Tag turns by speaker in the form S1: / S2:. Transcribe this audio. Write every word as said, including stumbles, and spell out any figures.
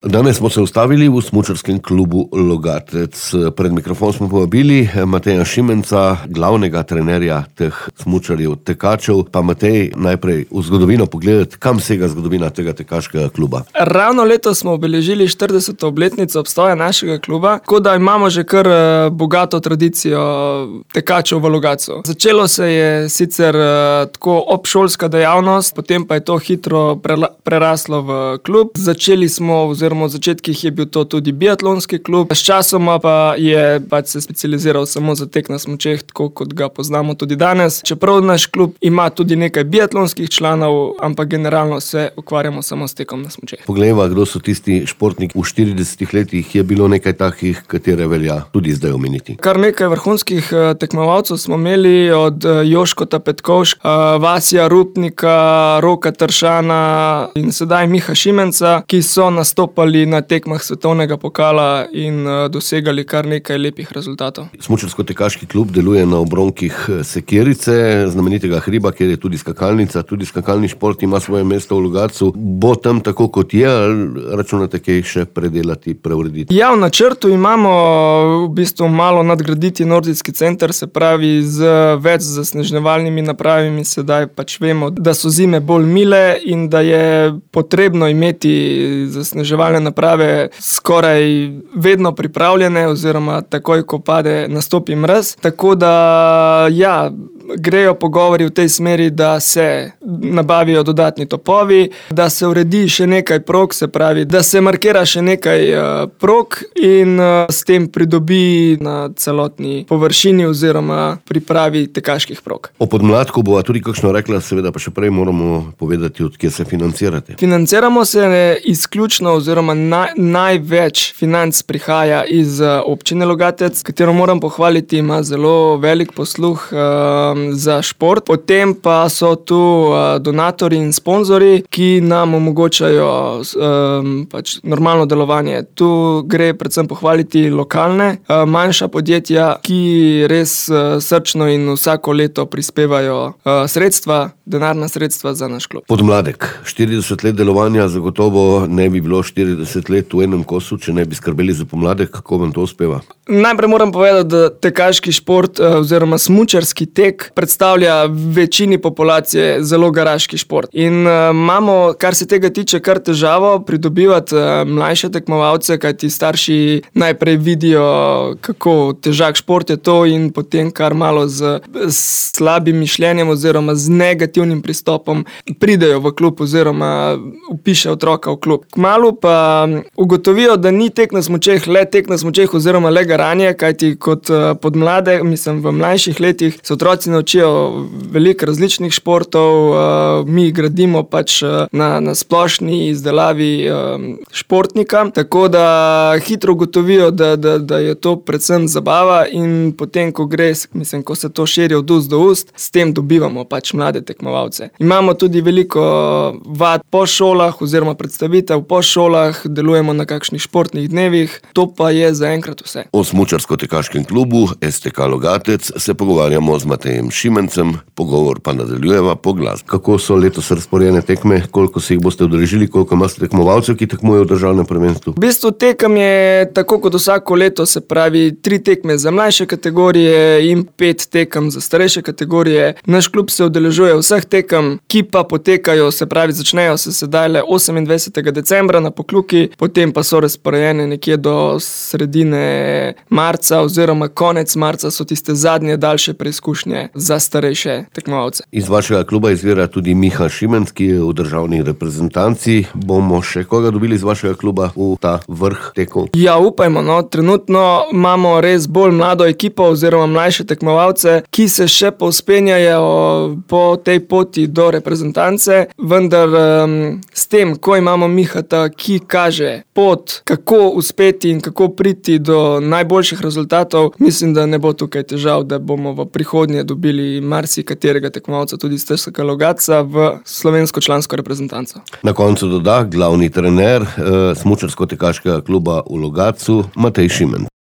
S1: Danes smo se ustavili v smučarskem klubu Logatec. Pred mikrofon smo povabili Mateja Šimenca, glavnega trenerja teh smučarjev tekačev. Pa Matej, najprej v zgodovino pogledati, kam sega zgodovina tega tekaškega kluba.
S2: Ravno letos smo obeležili štirideseto obletnico obstoja našega kluba, tako da imamo že kar bogato tradicijo tekačev v Logatcu. Začelo se je sicer tako obšolska dejavnost, potem pa je to hitro preraslo v klub. Začeli smo oziroma v začetkih je bil to tudi biatlonski klub, sčasoma pa je pač se specializiral samo za tek na smučeh, tako kot ga poznamo tudi danes. Čeprav naš klub ima tudi nekaj biatlonskih članov, ampak generalno se ukvarjamo samo s tekom na smučeh.
S1: Poglejva, kdo so tisti športniki. V štiridesetih letih je bilo nekaj takih, katere velja tudi zdaj omeniti.
S2: Kar nekaj vrhunskih tekmovalcev smo imeli, od Joškota Petkovška, Vasija Rupnika, Roka Tršana in sedaj Miha Šimenca, ki so nastopali na tekmah svetovnega pokala in dosegali kar nekaj lepih rezultatov.
S1: Smučarsko-tekaški klub deluje na obronkih Sekirice, znamenitega hriba, kjer je tudi skakalnica, tudi skakalni šport ima svoje mesto v Logatcu. Bo tam tako kot je, ali računate kaj še predelati, preurediti?
S2: Ja, v načrtu imamo v bistvu malo nadgraditi nordijski center, se pravi z več zasneževalnimi napravami. Sedaj pač vemo, da so zime bolj mile in da je potrebno imeti zasneževalne naprave skoraj vedno pripravljene oziroma takoj, ko pade, nastopi mraz. Tako da ja, grejo pogovori v tej smeri, da se nabavijo dodatni topovi, da se uredi še nekaj prog, se pravi, da se markira še nekaj uh, prog in uh, s tem pridobi na celotni površini oziroma pripravi tekaških prog.
S1: O podmladku bova tudi kakšno rekla, seveda pa še prej moramo povedati, od kje se financirate.
S2: Financiramo se izključno oziroma naj, največ financ prihaja iz uh, občine Logatec, katero moram pohvaliti, ima zelo velik posluh uh, za šport. Potem pa so tu uh, donatorji in sponzorji, ki nam omogočajo um, pač normalno delovanje. Tu gre predvsem pohvaliti lokalne, uh, manjša podjetja, ki res uh, srčno in vsako leto prispevajo uh, sredstva, denarna sredstva za naš klub.
S1: Podmladek. štirideset let delovanja, zagotovo ne bi bilo štirideset let v enem kosu, če ne bi skrbeli za pomladek. Kako vam to uspeva?
S2: Najprej moram povedati, da tekaški šport uh, oziroma smučarski tek predstavlja večini populacije zelo garaški šport. In uh, imamo, kar se tega tiče, kar težavo pridobivati uh, mlajše tekmovalce, kajti starši najprej vidijo, kako težak šport je to in potem kar malo z, z slabim mišljenjem oziroma z negativnim pristopom pridejo v klub oziroma upiše otroka v klub. Kmalu pa ugotovijo, da ni tek na smučeh le tek na smučeh oziroma le garanje, kajti kot uh, podmlade, mislim v mlajših letih, se otroci naučijo veliko različnih športov, uh, mi gradimo pač uh, na, na splošni izdelavi uh, športnika, tako da hitro ugotovijo, da, da, da je to predvsem zabava in potem, ko gre, mislim, ko se to širi od ust do ust, s tem dobivamo pač mlade tekmovalce. Imamo tudi veliko vad po šolah oziroma predstavitev po šolah, delujemo na kakšnih športnih dnevih, to pa je zaenkrat vse.
S1: O smučarsko-tekaškem klubu S T K Logatec se pogovarjamo z Matejem Šimencem, pogovor pa nadaljujeva po glasbi. Kako so letos razporejene tekme, koliko se jih boste udeležili, koliko imate tekmovalcev, ki tekmujejo v državnem prvenstvu?
S2: V bistvu tekem je tako kot vsako leto, se pravi tri tekme za mlajše kategorije in pet tekem za starejše kategorije. Naš klub se udeležuje vseh tekem, ki pa potekajo, se pravi začnejo se sedaj le osemindvajsetega decembra na Pokljuki, potem pa so razporejene nekje do sredine marca oziroma konec marca so tiste zadnje daljše preizkušnje za starejše tekmovalce.
S1: Iz vašega kluba izvira tudi Miha Šimenc, ki je v državni reprezentanci. Bomo še koga dobili iz vašega kluba v ta vrh tekov?
S2: Ja, upajmo, no. Trenutno imamo res bolj mlado ekipo oziroma mlajše tekmovalce, ki se še povzpenjajo po tej poti do reprezentance, vendar um, s tem, ko imamo Mihata, ki kaže pot, kako uspeti in kako priti do najboljših rezultatov, mislim, da ne bo tukaj težav, da bomo v prihodnje dobili marsikaterega tekmovalca tudi iz S T K Logatca v slovensko člansko reprezentanco.
S1: Na koncu doda glavni trener eh, smučarsko-tekaškega kluba v Logatcu, Matej Šimenc.